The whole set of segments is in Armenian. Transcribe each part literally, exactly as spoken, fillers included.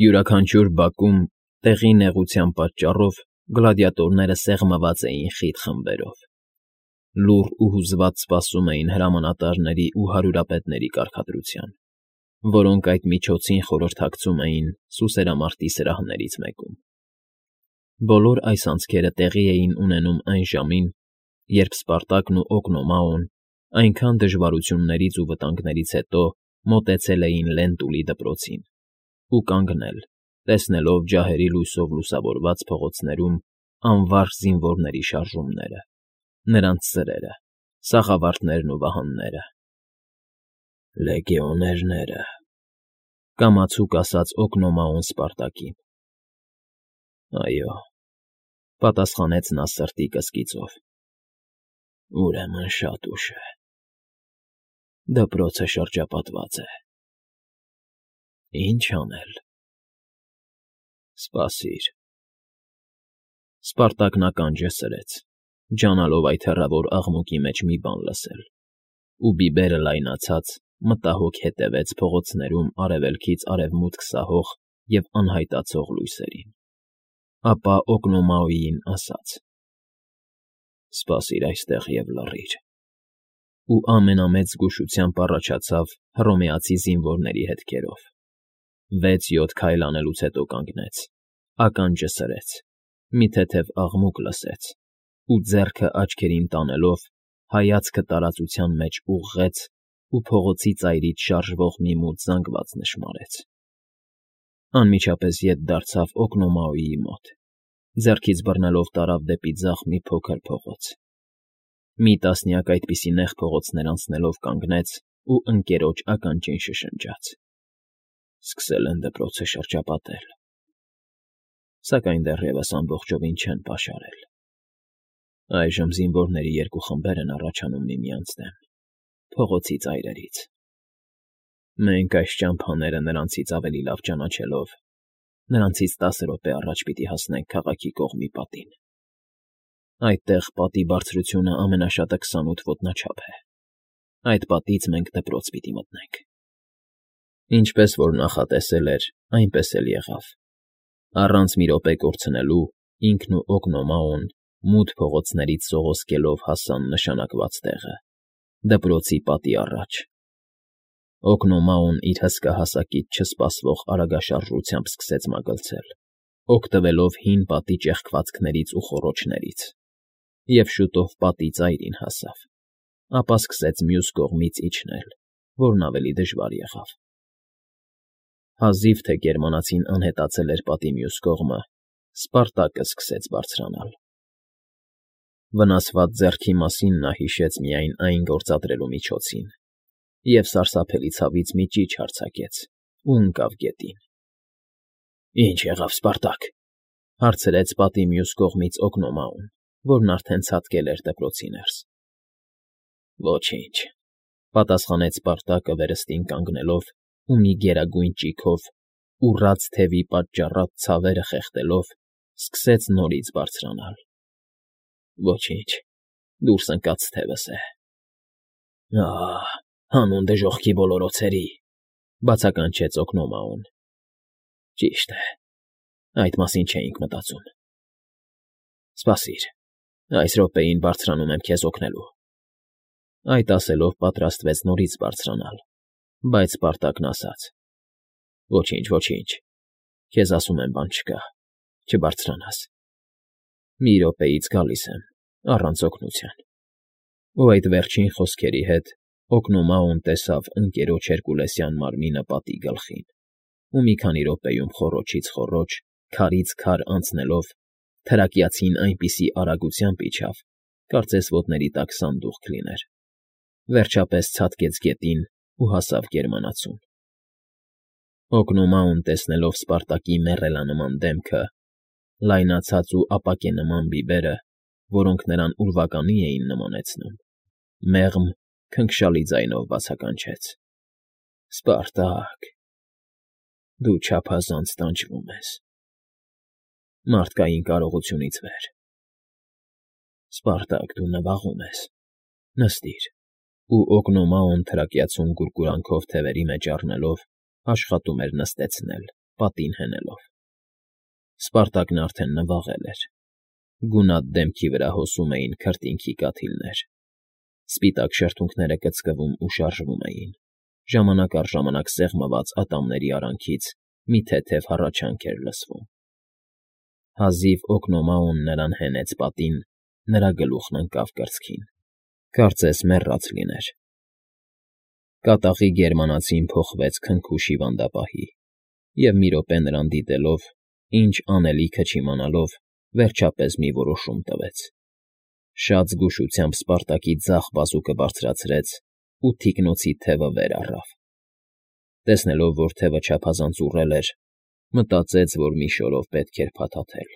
Յուրաքանչյուր բակում, տեղի նեղության պատճառով, գլադիատորները սեղմված էին խիտ խմբերով. լուռ ու հուզված սպասում էին հրամանատարների ու հարյուրապետների կարգադրության, որոնք այդ միջոցին խորհրդակցում էին սուսերամարտի սրահներից մեկում։ Բոլոր այս անցքերը տեղի էին ունենում այն ժամին, երբ Սպարտակն ու Օկնոմաոն այնքան դժվարություններից ու վտանգներից հետո մոտեցել էին Լենտուլի դպրոցին ու կանգնել, տեսնելով ջահերի լույսով լուսավորված փողոցներում անվարժ զինվորների շարժումները, նրանց սրերը, սաղավարտներն ու վահանները։ Լեգիոներները, կամացուկ ասաց Օկնոմաոն Սպարտակին։ Այո, պատասխանեց նա սրտի կսկիծով։ Ուրեմն շատ ուշ է։ Դպրոցը շրջապատված է։ Ինչ անել։ Սպասիր։ Սպարտակն ականջը սրեց, ջանալով այդ հեռավոր աղմուկի մեջ մի բան լսել, ու բիբերը լայնացած, մտահոգ հետևեց փողոցներում արևելքից արևմուտք սահող և անհայտացող լույսերին, ապա Օկնոմաոյին ասաց. «Սպասիր այստեղ և լռիր», ու ամենամեծ զգուշությամբ առաջացավ հռոմեացի զինվորների հետքերով։ Վեց֊յոթ քայլ անելուց հետո կանգնեց, ականջը սրեց, մի թեթև աղմուկ լսեց ու, ձեռքը աչքերին տանելով, հայացքը տարածության մեջ ուղղեց ու փողոցի ծայրից շարժվող մի մութ զանգված նշմարեց։ Անմիջապես ետ դարձավ Օկնոմաոյի մոտ, ձեռքից բռնելով տարավ դեպի ձախ մի փոքր փողոց։ Մի տասնյակ այդպիսի նեղ փողոցներ անցնելով կանգնեց ու ընկերոջ ականջին շշնջաց. «Սկսել են դպրոցը շրջապատել»։ Սակայն դեռևս ամբողջովին չեն պաշարել։ Այժմ զինվորների երկու խմբեր են առաջանում միմյանց դեմ, փողոցի ծայրերից։ Մենք այս ճամփաները նրանցից ավելի լավ ճանաչելով, նրանցից տասը րոպե առաջ պիտի հասնենք քաղաքի կողմի պատին։ Այդտեղ պատի բարձրությունը ամենաշատը քսանութ ոտնաչափ է։ Այդ պատից մենք դպրոց պիտի մտնենք։ Ինչպես որ նախատեսել էր, այնպես էլ եղավ։ Առանց մի րոպե կորցնելու ինքն ու Օկնոմաոն մութ փողոցներից սողոսկելով հասան նշանակված տեղը՝ դպրոցի պատի առաջ։ Օկնոմաոն իր հսկա հասակից չսպասվող արագաշարժությամբ սկսեց մագլցել, օգտվելով հին պատի ճեղքվածքներից ու խոռոչներից, և շուտով պատի ծայրին հասավ, ապա սկսեց մյուս կողմից իջնել, որն ավելի դժվար եղավ։ Հազիվ թե գերմանացին անհետացել էր պատի մյուս կողմը, Սպարտակը սկսեց բարձրանալ։ Վնասված ձեռքի մասին նա հիշեց միայն այն գործադրելու միջոցին և սարսափելի ցավից մի ճիչ արձակեց ու ընկավ գետին։ «Ի՞նչ եղավ, Սպարտակ,֊ հարցրեց պատի մյուս կողմից Օկնոմաոն, որն արդեն ցատկել էր դպրոցի ներս։ «Ոչինչ,֊ պատասխանեց Սպարտակը վերստին կանգնելով ու մի գերագույն ճիգով, ուռած թևի պատճառած ցավերը խեղդելով, սկսեց նորից բարձրանալ։ Ոչինչ, դուրս ընկած թևս է»։ «Ահ, հանուն դժոխքի բոլորոցերի,֊ բացականչեց Օկնոմաոն։ Ճիշտ է, այդ մասին չէինք մտածում։ Սպասիր, այս րոպեին բարձրանում եմ քեզ օգնելու»։ Այդ ասելով պատրաստվեց նորից բարձրանալ, բայց Սպարտակն ասաց. «Ոչինչ, ոչինչ, քեզ ասում եմ, բան չկա, չբարձրանաս։ Մի րոպեից գալիս եմ, առանց օգնության»։ Ու այդ վերջին խոսքերի հետ Օկնոմաոն տեսավ ընկերոջ հերկուլեսյան մարմինը պատի գլխին ու մի քանի րոպեում խոռոչից խոռոչ, քարից քար անցնելով, թրակյացին այնպիսի արագությամբ իջավ, կարծես ոտների տակ սանդուղք լիներ, վերջապես ցատկեց գետին ու հասավ գերմանացուն։ Օկնոմաոն, տեսնելով Սպարտակի մեռելանման դեմքը, լայնացած ու ապակենման բիբերը, որոնք նրան ուրվականի էին նմանեցնում, մեղմ, քնքշալի ձայնով բացականչեց. «Սպարտակ, դու չափազանց տանջվում ես, մարդկային կարողությունից վեր։ Սպարտակ, դու նվաղում ես, նստիր»։ Ու Օկնոմաոն թրակյացուն գուրգուրանքով թևերի մեջ առնելով, աշխատում էր նստեցնել, պատին հենելով։ Սպարտակն արդեն նվաղել էր։ Գունատ դեմքի վրա հոսում էին քրտինքի կաթիլներ։ Սպիտակ շրթունքները կծկվում ու շարժվում էին, ժամանակ առ ժամանակ սեղմված ատամների արանքից մի թեթև հառաչանք էր լսվում։ Հազիվ Օկնոմաուն նրան հենեց պատին, նրա գլուխն ընկավ կրծքին, կարծես մեռած լիներ։ Կատաղի գերմանացին փոխվեց քնքուշ հիվանդապահի, և մի րոպե նրան դիտելով, ինչ անելիքը չիմանալով, վերջապես մի որոշում տվեց։ Շատ զգուշությամբ Սպարտակի ձախ բազուկը բարձրացրեց ու թիկնոցի թևը վեր առավ։ Տեսնելով, որ թևը չափազանց ուռել էր, մտածեց, որ մի շորով պետք էր փաթաթել։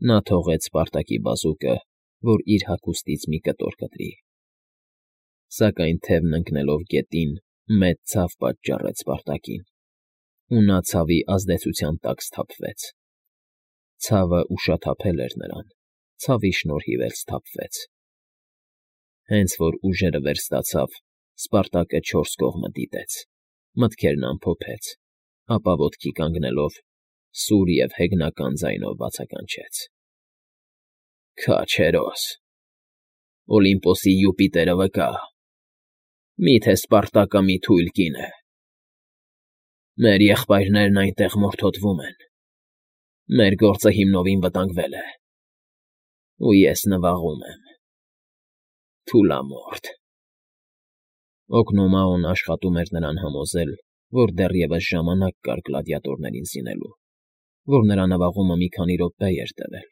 Նա թողեց Սպարտակի բազուկը, որ իր հագուստից մի կտոր կտրի։ Սակայն թևն ընկնելով գետին, մեծ ցավ պատճառեց Սպարտակին, ու նա ցավի ազդեցության տակ սթափվեց։ Ցավը ուշաթափել էր նրան, ցավի շնորհիվ էլ սթափվեց։ Հենց որ ուժերը վերստացավ, Սպարտակը չորս կողմը դիտեց, մտքերն ամփոփեց, ապա ոտքի կանգնելով, սուր և հեգնական ձայնով բացականչեց. «Քաջ, հերոս, Օլիմպոսի Յուպիտերը վկա, մի՞թե Սպարտակը մի թույլ կին է։ Մեր եղբայրներն այնտեղ մորթոտվում են, մեր գործը հիմնովին վտանգվել է, ու ես նվաղում եմ։ Թուլամորթ»։ Օկնոմաուն աշխատում էր նրան համոզել, որ դեռևս ժամանակ կար գլադիատորներին զինելու, որ նրա նվաղումը մի քանի րոպե էր տևել,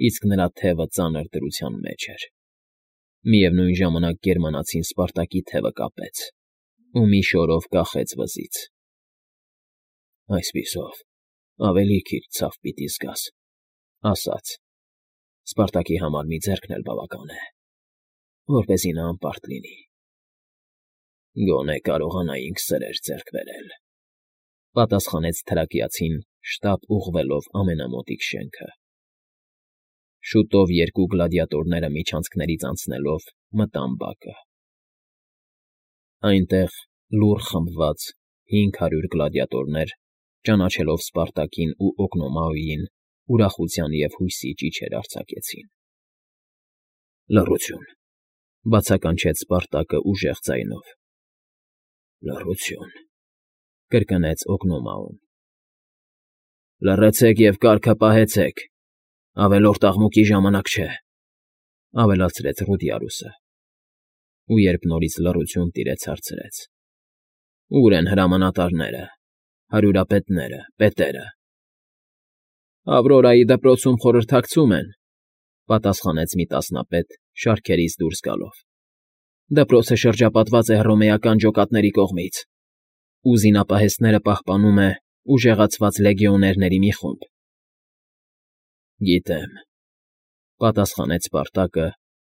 իսկ նրա թևը ծանր դրության մեջ էր։ Միևնույն ժամանակ գերմանացին Սպարտակի թևը կապեց ու մի շորով կախեց վզից։ «Այսպիսով ավելի քիչ ցավ պիտի զգաս», ասաց. «Սպարտակի համար մի ձեռքն էլ բավական է, որպեսզի նա անպարտ լինի»։ «Գոնե կարողանայինք սրեր ձեռք բերել», պատասխանեց թրակիացին, շտապ ուղղվելով ամենամոտիկ շենքը։ Շուտով երկու գլադիատորները միջանցքներից անցնելով մտան բակը։ Այնտեղ, լուռ խմբված, հինգ հարյուր գլադիատորներ, ճանաչելով Սպարտակին ու Օկնոմաուին, ուրախության և հույսի ճիչեր արձակեցին։ «Լռություն», բացականչեց Սպարտակը ուժեղ ձայնով։ «Լռություն», կրկնեց Օկնոմաուն։ «Լռեցեք և կարգը պահեցեք, ավելորդ աղմուկի ժամանակ չէ», ավելացրեց Ռուդիարուսը, ու երբ նորից լռություն տիրեց, հարցրեց. «Ո՞ւր են հրամանատարները, հարյուրապետները, պետերը»։ «Ավրորայի դպրոցում խորհրդակցում են», պատասխանեց մի տասնապետ, շարքերից դուրս գալով։ «Դպրոցը շրջապատված է հռոմեական ջոկատների կողմից, ու զինապահեստները պահպանում է ուժեղացված լեգիոներների մի խումբ»։ «Գիտեմ», պատասխանեց Սպարտակը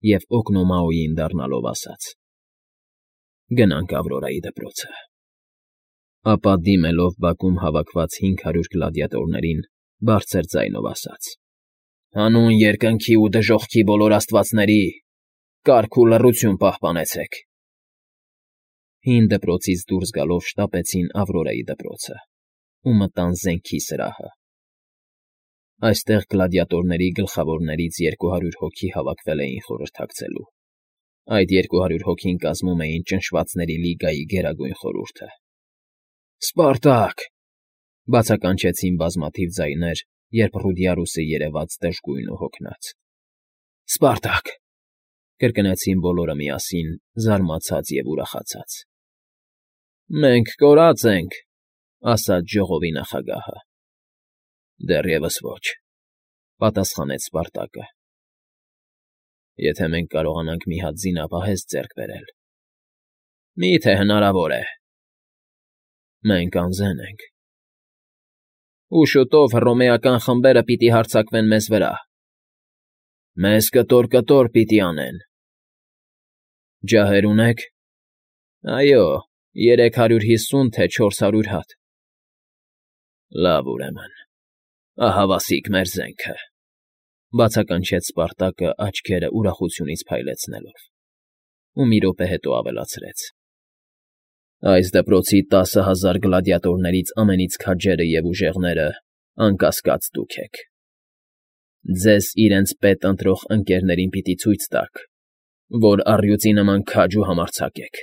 և Օկնոմաուին դառնալով ասաց. «Գնանք Ավրորայի դպրոցը»։ Ապա դիմելով բակում հավաքված հինգ հարյուր գլադիատորներին, բարձր ձայնով ասաց. «Հանուն երկնքի ու դժոխքի բոլոր աստվածների, կարգ ու լռություն պահպանեցեք»։ Հին դպրոցից դուրս գալով շտապեցին Ավրորայի դպրոցը ու մտան զենքի սրահը։ Այստեղ գլադիատորների գլխավորներից երկու հարյուր հոգի հավաքվել էին խորհրդակցելու։ Այդ երկու հարյուր հոգին կազմում էին Ճնշվածների լիգայի գերագույն խորհուրդը։ «Սպարտա՜կ», բացականչեցին բազմաթիվ ձայներ, երբ Ռուդիարուսը երևաց դժգույն ու հոգնած։ «Սպարտա՜կ», կրկնեցին բոլորը միասին, զարմացած և ուրախացած։ «Մենք կորած ենք», ասաց ժողովի նախագահը։ «Դեռևս ոչ», պատասխանեց Սպարտակը։ «Եթե մենք կարողանանք մի հատ զինապահեստ ձեռք բերել»։ «Մի՞թե հնարավոր է»։ «Մենք անզեն ենք»։ «Ու շուտով հռոմեական խմբերը պիտի հարձակվեն մեզ վրա»։ «Մեզ կտոր֊կտոր պիտի անեն»։ «Ջահեր ունե՞ք»։ «Այո, երեք հարյուր հիսուն, թե չորս հարյուր հատ»։ «Լավ, ուրեմն, ահավասիկ մեր զենքը», բացականչեց Սպարտակը աչքերը ուրախությունից փայլեցնելով, ու մի րոպե հետո ավելացրեց. Այս դպրոցի տասը հազար գլադիատորներից ամենից քաջերը և ուժեղները, անկասկած, դուք եք. ձեզ իրենց պետ ընտրող ընկերներին պիտի ցույց տաք, որ առյուծի նման քաջ ու համարձակ եք.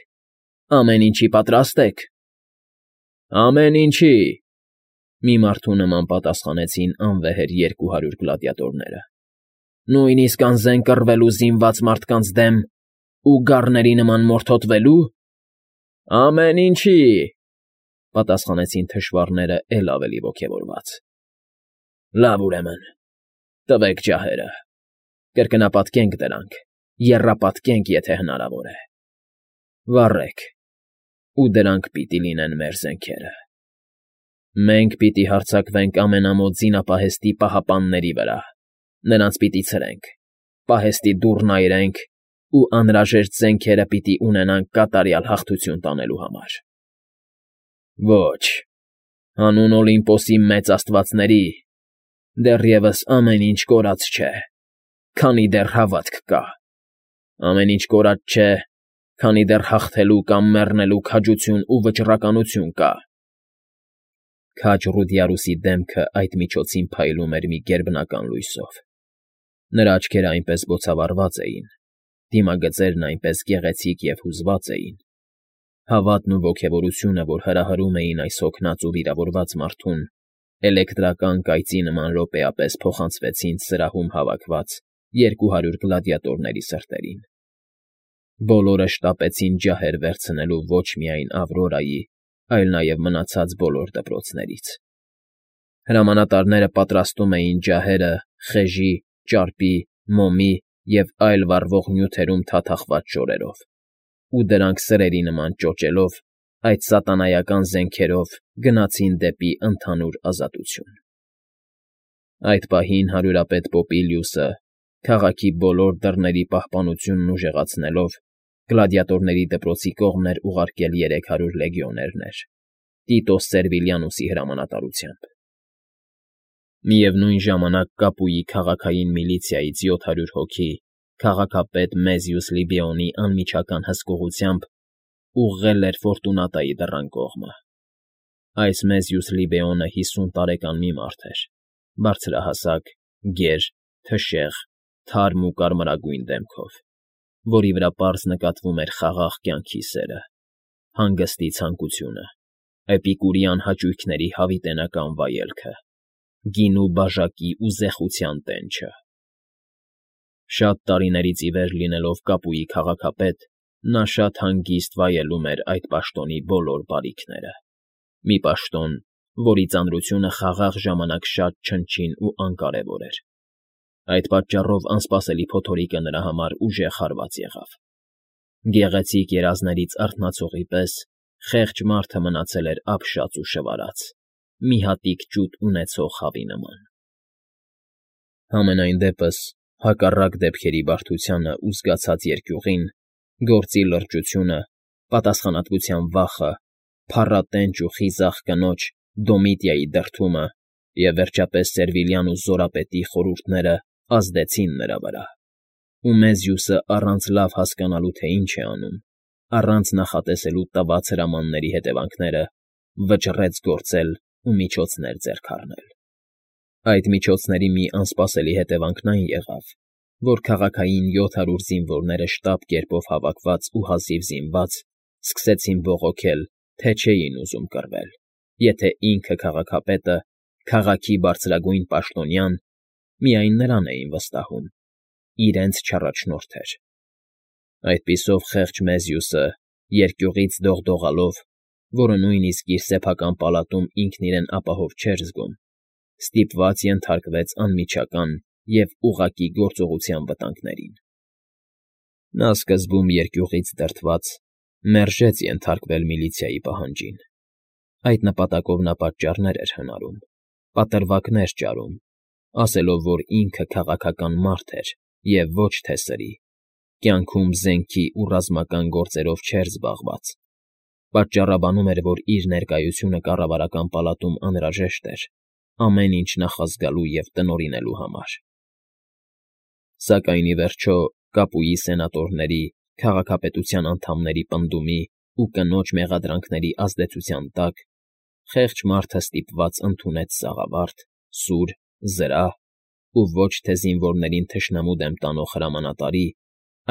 ամեն ինչի պատրաստ եք։ ֊ Ամեն ինչի, ֊ մի մարդու նման պատասխանեցին անվեհեր երկու հարյուր գլադիատորները։ ֊ Նույնիսկ անզեն կռվելու զինված մարդկանց դեմ ու գառների նման մորթոտվելո՞ւ։ ֊ Ամեն ինչի, ֊ պատասխանեցին թշվառները էլ ավելի ոգևորված։ ֊ Լավ, ուրեմն, տվեք ջահերը, կրկնապատկենք դրանք, եռապատկենք, եթե հնարավոր է, վառեք, ու դրանք պիտի լինեն մեր զենքերը։ Մենք պիտի հարձակվենք ամենամոտ զինապահեստի պահապանների վրա, նրանց պիտի ցրենք, պահեստի դուռն այրենք ու անհրաժեշտ զենքերը պիտի ունենանք կատարյալ հաղթություն տանելու համար։ Ոչ, հանուն Օլիմպոսի մեծ աստվածների, դեռևս ամեն ինչ կորած չէ, քանի դեռ հավատք կա, ամեն ինչ կորած չէ, քանի դեռ հաղթելու կամ մեռնելու քաջություն ու վճռականություն կա։ Քաջ Ռուդիարուսի դեմքը այդ միջոցին փայլում էր մի գերբնական լույսով. նրա աչքերը այնպես բոցավառված էին, դիմագծերն այնպես գեղեցիկ և հուզված էին, հավատն ու ոգևորությունը, որ հրահրում էին այս հոգնած ու վիրավորված մարդուն, էլեկտրական կայծի նման րոպեապես փոխանցվեցին սրահում հավաքված երկու հարյուր գլադիատորների սրտերին։ Բոլորը շտապեցին ջահեր վերցնելու ոչ միայն Ավրորայի, այլ նաև մնացած բոլոր դպրոցներից։ Հրամանատարները պատրաստում էին ջահերը խեժի, ճարպի, մոմի և այլ վառվող նյութերում թաթախված շորերով, ու դրանք սրերի նման ճոճելով, այդ սատանայական զենքերով գնացին դեպի ընդհանուր ազատություն։ Այդ պահին հարյուրապետ Պոպիլիուսը, քաղաքի բոլոր դռների պահպանությունն ուժեղացնելով, գլադիատորների դպրոցի կողմն էր ուղարկել երեք հարյուր լեգիոներներ՝ Տիտոս Սերվիլիանուսի հրամանատարությամբ։ Միևնույն ժամանակ Կապուի քաղաքային միլիցիայից յոթ հարյուր հոգի քաղաքապետ Մեզիուս Լիբեոնի անմիջական հսկողությամբ ուղղել էր Ֆորտունատայի դռան կողմը։ Այս Մեզիուս Լիբեոնը հիսուն տարեկան մի մարդ էր, բարձրահասակ, գեր, թշեղ, թարմ ու կարմրագույն դեմքով, որի վրա պարզ նկատվում էր խաղաղ կյանքի սերը, հանգստի ցանկությունը, էպիկուրյան հաճույքների հավիտենական վայելքը, գինու բաժակի ու զեխության տենչը։ Շատ տարիներից ի վեր լինելով Կապուի քաղաքապետ, նա շատ հանգիստ վայելում էր այդ պաշտոնի բոլոր բարիքները, մի պաշտոն, որի ծանրությունը խաղաղ ժամանակ շատ չնչին ու անկարևոր էր։ Այդ պատճառով անսպասելի փոթորիկը նրա համար ուժեղ հարված եղավ։ Գեղեցիկ երազներից արթնացողի պես խեղճ մարդը մնացել էր ապշած ու շվարած, մի հատիկ ջուտ ունեցող հավի նման։ Համենայն դեպս, հակառակ դեպքերի բարդությանը ու զգացած երկյուղին, գործի լրջությունը, պատասխանատվության վախը, փառատենչ ու խիզախ կնոջ՝ Դոմիտիայի դրդումը և, վերջապես, Սերվիլիանուս զորապետի խորհուրդները ազդեցին նրա վրա, ու Մեզիուսը, առանց լավ հասկանալու, թե ինչ է անում, առանց նախատեսելու տված հրամանների հետևանքները, վճռեց գործել ու միջոցներ ձեռք առնել։ Այդ միջոցների մի անսպասելի հետևանքն այն եղավ, որ քաղաքային յոթ հարյուր զինվորները շտապ կերպով հավաքված ու հազիվ զինված սկսեցին բողոքել, թե չէին ուզում կռվել, եթե ինքը քաղաքապետը, քաղաքի բարձրագույն պաշտոնյան, միայն նրան էին վստահում, իրենց չառաջնորդեր։ Այդպիսով խեղճ Մեզիուսը, երկյուղից դողդողալով, որը նույնիսկ իր սեփական պալատում ինքն իրեն ապահով չէր զգում, ստիպված ենթարկվեց անմիջական և ուղղակի գործողության վտանգներին։ Նա սկզբում երկյուղից դրդված մերժեց ենթարկվել միլիցիայի պահանջին։ Այդ նպատակով նա պատճառներ էր հնարում, պատրվակներ ճարում, ասելով, որ ինքը քաղաքական մարդ էր և ոչ թե սրի, կյանքում զենքի ու ռազմական գործերով չէր զբաղված, պատճառաբանում էր, որ իր ներկայությունը կառավարական պալատում անհրաժեշտ էր ամեն ինչ նախազգալու և տնօրինելու համար։ Սակայն, ի վերջո, Կապուի սենատորների, քաղաքապետության անդամների պնդումի ու կնոջ մեղադրանքների ազդեցության տակ խեղճ մարդը ստիպված ընդունեց սաղավարտ, սուր, զրահ ու ոչ թե զինվորներին թշնամու դեմ տանող հրամանատարի,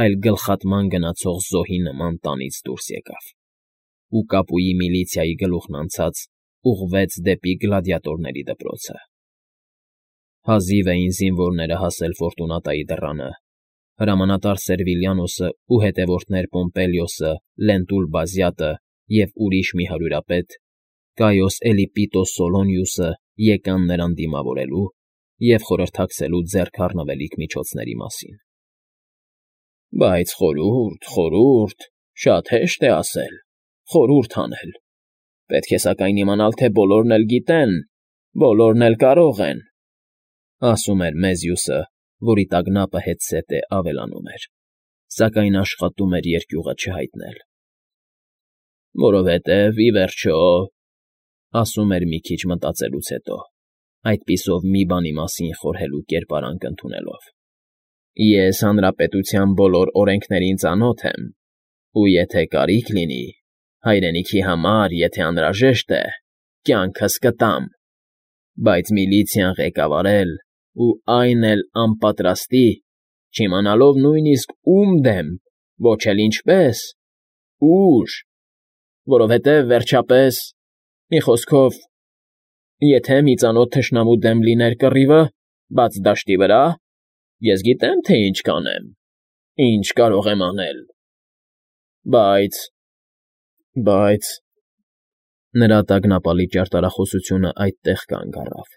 այլ գլխատման գնացող զոհի նման տանից դուրս եկավ ու կապուի միլիցիայի գլուխն անցած ուղղվեց դեպի գլադիատորների դպրոցը։ Հազիվ էին զինվորները հասել Ֆորտունատայի դռանը, հրամանատար Սերվիլյանոսը ու հետևորդներ Պոմպելիոսը, Լենտուլ Բազյատը և ուրիշ մի հարյուրապետ, Կայոս Էլիպիտոս Սոլոնիուսը եկան նրան դիմավորելու և խորհրդակցելու ձեռք առնվելիք միջոցների մասին։ ֊ Բայց խորհուրդ, խորհուրդ, շատ հեշտ է ասել, խորհուրդ անել, պետք է սակայն իմանալ, թե բոլորն էլ գիտեն, բոլորն էլ կարող են, ֊ ասում էր Մեզյուսը, որի տագնապը հետզհետե ավելանում էր, սակայն աշխատում էր երկյուղը չհայտնել։ ֊ Որովհետև, ի վերջո, ֊ ասում էր մի քիչ մտածելուց հետո, այդպիսով մի բանի մասին խորհելու կերպարանք ընդունելով, ֊ ես հանրապետության բոլոր օրենքներին ծանոթ եմ, ու եթե կարիք լինի, հայրենիքի համար, եթե անհրաժեշտ է, կյանքս կտամ, բայց միլիցիան ղեկավարել ու այն էլ անպատրաստի, չիմանալով նույնիսկ ում դեմ, ոչ էլ ինչպես, ո՞ւր, որովհետև, վերջապես, մի խոսքով, եթե մի ծանոթ թշնամու դեմ լիներ կռիվը, բաց դաշտի վրա, ես գիտեմ, թե ինչ կանեմ, ինչ կարող եմ անել, բայց… բայց… Նրա տագնապալի ճարտարխոսությունն այդտեղ կանգ առավ,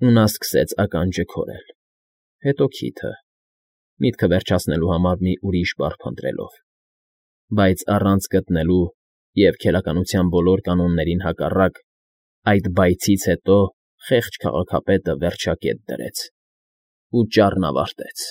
ու նա սկսեց ականջը քորել, հետո քիթը, միտքը վերջացնելու համար մի ուրիշ բառ փնտրելով, բայց առանց գտնելու և քերականության բոլոր կանոններին հակառակ, այդ բայցից հետո խեղճ քաղաքապետը վերջակետ դրեց ու ճառն ավարտեց։